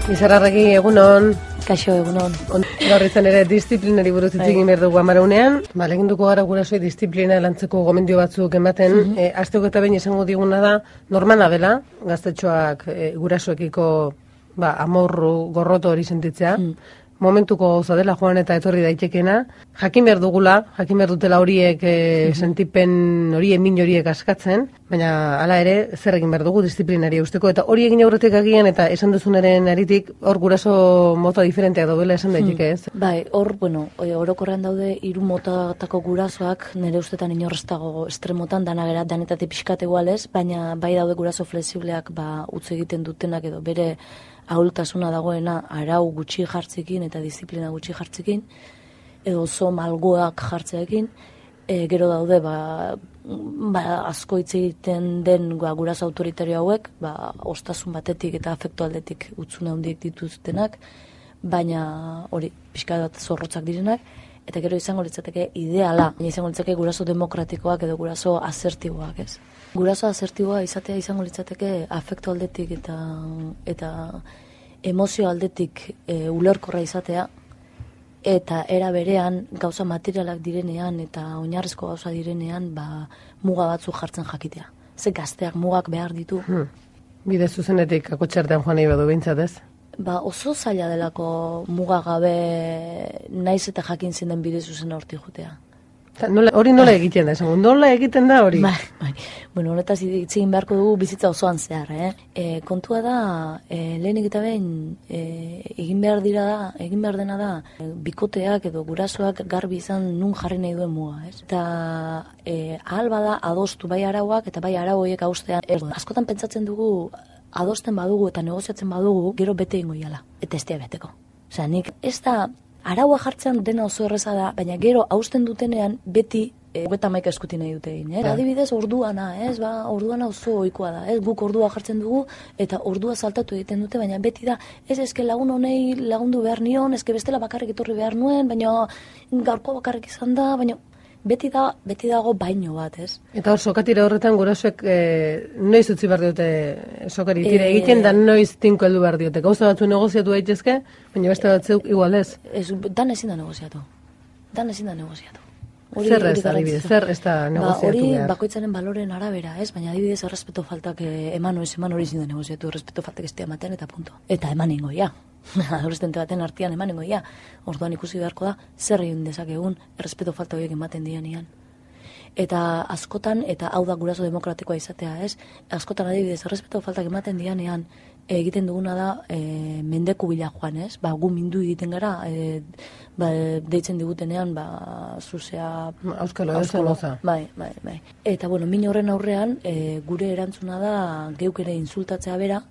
Izarrarregi, egunon. Kaixo, egunon. Gaur izan ere disiplinari buruz hitz egin behar dugu amaraunean. Lehenduko gara gurasoi disiplina lantzeko gomendio batzuk ematen. Asteko eta behin esango diguna da, normala dela, gaztetxoak gurasoekiko amorru, gorroto hori sentitzea. Momentuko gauza dela joan eta etorri daitekena. Jakin behar dugula, jakin behar dutela horiek sentipen horien min horiek askatzen, baina hala ere zer egin behar dugu disiplinari usteko, eta hori egin aurretik agian eta esan duzunaren aritik hor guraso mota diferenteak daudela esan daiteke, ez? Bai, hor, orokorrean daude 3 motatako gurasoak, nire ustetan inorreztago estremotan, danetatik pixkat egualez, baina bai daude guraso flexibleak utz egiten dutenak edo bere ahultasuna dagoena arau gutxi jartzekin eta disiplina gutxi jartzekin, edo oso malgoak jartzeekin, gero daude asko hitz egiten den guraso autoritario hauek, ostasun batetik eta afektu aldetik utzune handiek dituztenak, baina hori pixka bat zorrotzak direnak, eta gero izango litzateke ideala, izango litzateke guraso demokratikoak edo guraso asertiboak, ez? Guraso asertiboa izatea izango litzateke afektu aldetik eta emozio aldetik ulerkorra izatea, eta era berean gauza materialak direnean eta oinarrizko gauza direnean muga batzuk jartzen jakitea. Ze gazteak mugak behar ditu. Bide zuzenetik akotxartean joan nahi badu behintzat, ez? Oso zaila delako muga gabe naiz eta jakin zen den bide zuzena hortik jutea. Hori nola egiten da, esango? Nola egiten da hori? Bai. Bueno, honetaz itzegin beharko dugu bizitza osoan zehar, kontua da, lehenik eta behin, egin behar dena da, bikoteak edo gurasoak garbi izan nun jarri nahi duen muga, ez? Eta ahal bada adostu bai arauak eta bai arau horiek haustean. Askotan pentsatzen dugu, adosten badugu eta negoziatzen badugu, gero bete ingo iala, eta ez beteko. Osea, nik ez da, araua jartzean dena oso erreza da, baina gero hausten dutenean beti 31 eskuti nahi dute egin. Adibidez, orduana, orduana oso ohikoa da. Guk ordua jartzen dugu eta ordua saltatu egiten dute, baina beti da, eske lagun honei lagundu behar nion, eske bestela bakarrik etorri behar nuen, baina gaurko bakarrik izan da, baina beti dago baino bat, ez? Eta hor, sokatira horretan gurasoek noiz utzi behar diote sokari tira egiten, da noiz tinko heldu behar diote. Gauza batzu negoziatu daitezke, baina beste batzuk igual ez. Dan ezin da negoziatu. Zer ez da, adibidez, zer ez da negoziatu hori behar? Bakoitzaren baloren arabera, ez? Baina adibidez, errespeto faltak eman hori ezin da negoziatu, errespeto faltak ez ematen eta punto. Eta eman ingoia. Adolescente baten artean eman ingoia. Orduan ikusi beharko da, zer egin dezakegun errespeto falta horiek ematen dianean. Eta askotan, eta hau da guraso demokratikoa izatea, ez? Askotan adibidez, errespeto faltak ematen dianean, egiten duguna da mendeku bila joan, ez? Gu mindu egiten gara, deitzen digutenean, zuzea... Auskalo, ez goza. Bai. Eta, min horren aurrean, gure erantzuna da geuk ere insultatzea bera,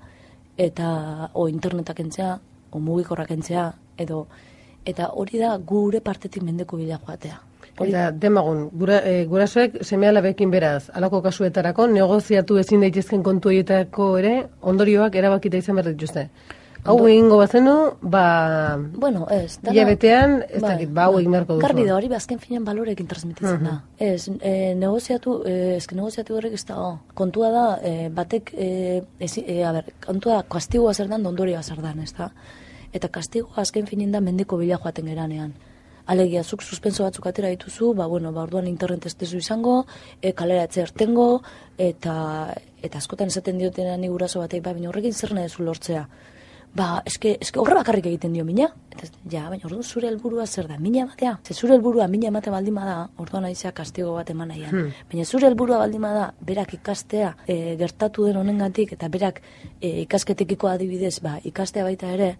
eta internetak entzea, mugikorrak entzea, eta hori da gure partetik mendeku bila joatea. Eta demagun, gurasoek seme-alabekin beraz, alako kasuetarako, negoziatu ezin daitezken kontu horietako ere, ondorioak erabakita izan behar dituzte. Hau egingo bazenu, bueno, ez. Hilabetean, ez dakit, hau egin beharko duzu. Garbi da, hori azken finean balorekin transmititzen da. Ez, negoziatu horrek ez da, kontua da, batek, kontua da, kastigoa zer dan, ondorioa zer dan, ez da? Eta kastigoa azken finean da mendeko bila joaten geranean. Alegia, zuk suspenso batzuk atera dituzu, orduan internet ez dezu izango, kalera etzertengo, eta askotan esaten diotenan ni guraso batek, baina horrekin zer nahi zu lortzea. Eske horre bakarrik egiten dio mina. Ja, baina orduan zure helburua zer da, mina ematea. Zure helburua mina emate baldin bada, orduan aizea kastigo bat eman nahian. Baina zure helburua baldin bada, berak ikastea gertatu den honengatik, eta berak ikasketekiko adibidez, ikastea baita ere,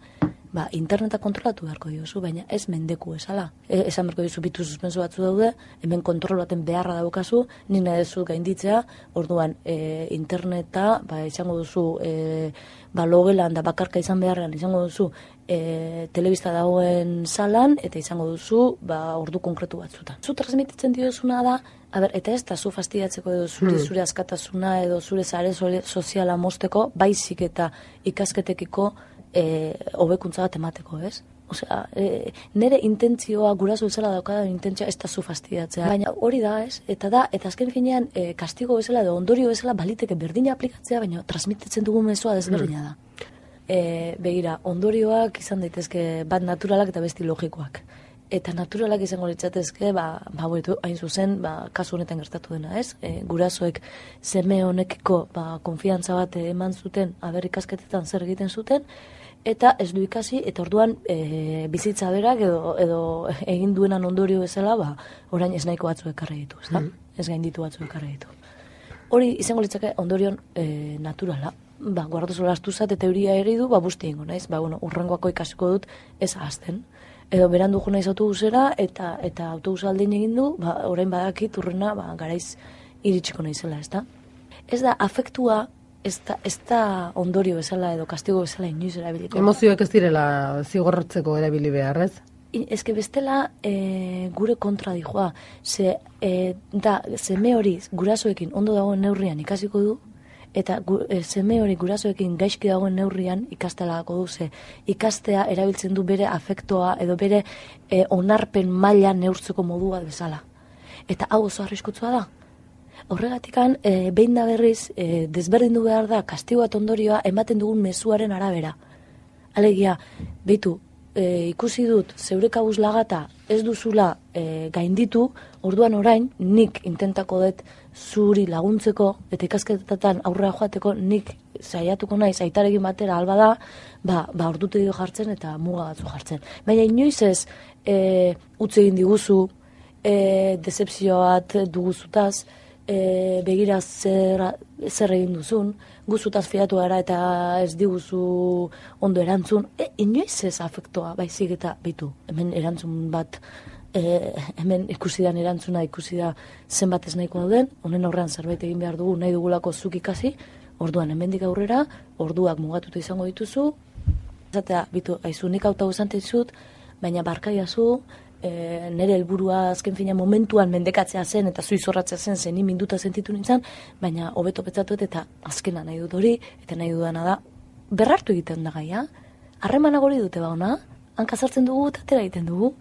interneta kontrolatu beharko diozu, baina ez mendeku esala. Esan beharko diozu bitu suspenso batzu daude, hemen kontrol baten beharra daukazu, nina dezu gainditzea, orduan interneta, izango duzu logelan da bakarka izan beharrean, izango duzu telebista dagoen salan, eta izango duzu ordu konkretu batzutan. Zu transmititzen diozuna da, eta ez da zu fastidiatzeko edo zure askatasuna edo zure sare soziala mozteko, baizik eta ikasketekiko hobekuntza bat emateko, ez? Osea, nire intentzioa guraso bezala daukadan intentzioa ez da zu fastidiatzea. Baina hori da, ez? Eta azken finean kastigo bezala edo ondorio bezala baliteke berdina aplikatzea, baina transmititzen dugun mezua desberdina da. Begira, ondorioak izan daitezke bat naturalak eta besti logikoak. Eta naturalak izango litzatezke, hain zuzen, kasu honetan gertatu dena, ez? Gurasoek seme honekiko konfiantza bat eman zuten, ikasketetan zer egiten zuten, eta ez du ikasi, eta orduan bizitza berak edo egin duenan ondorio bezala, orain ez nahiko batzu ekarri ditu, ez da? Ez gainditu batzu ekarri ditu. Hori izango litzake ondorion naturala. Guardazo lastu zat eta euria ere du, busti ingo naiz, urrengoako ikasiko dut ez ahazten. Edo berandu jo naiz autobusera eta autobusa aldein egin du, orain badakit urrena garaiz iritsiko naizela, ez da? Ez da, afektua ez da ondorio bezala edo kastigo bezala inoiz erabiliko. Emozioak ez direla zigorrotzeko erabili behar, ez? Ez que bestela gure kontra dijoa. Seme hori gurasoekin ondo dagoen neurrian ikasiko du, eta seme hori gurasoekin gaizki dagoen neurrian ikastelako du, ze ikastea erabiltzen du bere afektoa edo bere onarpen maila neurtzeko modu bat bezala. Eta hau oso arriskutsua da. Horregatikan, behin da berriz, desberdindu behar da kastigo bat ondorioa ematen dugun mezuaren arabera. Alegia, beitu, ikusi dut zeure kabuz lagata ez duzula gainditu, orduan orain nik intentako dut zuri laguntzeko eta ikasketatan aurrera joateko nik saiatuko naiz aitarekin batera alba da, ordutegi jartzen eta muga batzu jartzen. Baina inoiz ez utzi egin diguzu, decepzio bat duguzutaz, begira zer egin duzun, guzutaz fiatu gara eta ez diguzu ondo erantzun, inoiz ez afektoa, baizik eta bitu, hemen erantzun bat, hemen ikusidan erantzuna, ikusi da zenbat ez nahiko dauden, honen aurrean zerbait egin behar dugu, nahi dugulako zuk ikasi, orduan hemendik aurrera, orduak mugatuta izango dituzu, esatea, bitu, aizu nik auta guzante dizut, baina barkaiazu, nire helburua azken fina momentuan mendekatzea zen eta zuizorratzea zen ni minduta sentitu nintzen, baina hobeto petzatuet eta azkena nahi dut hori, eta nahi dudana da, berrartu egiten da gaia, harremanak hori dute ona, hankazartzen dugu eta atera egiten dugu,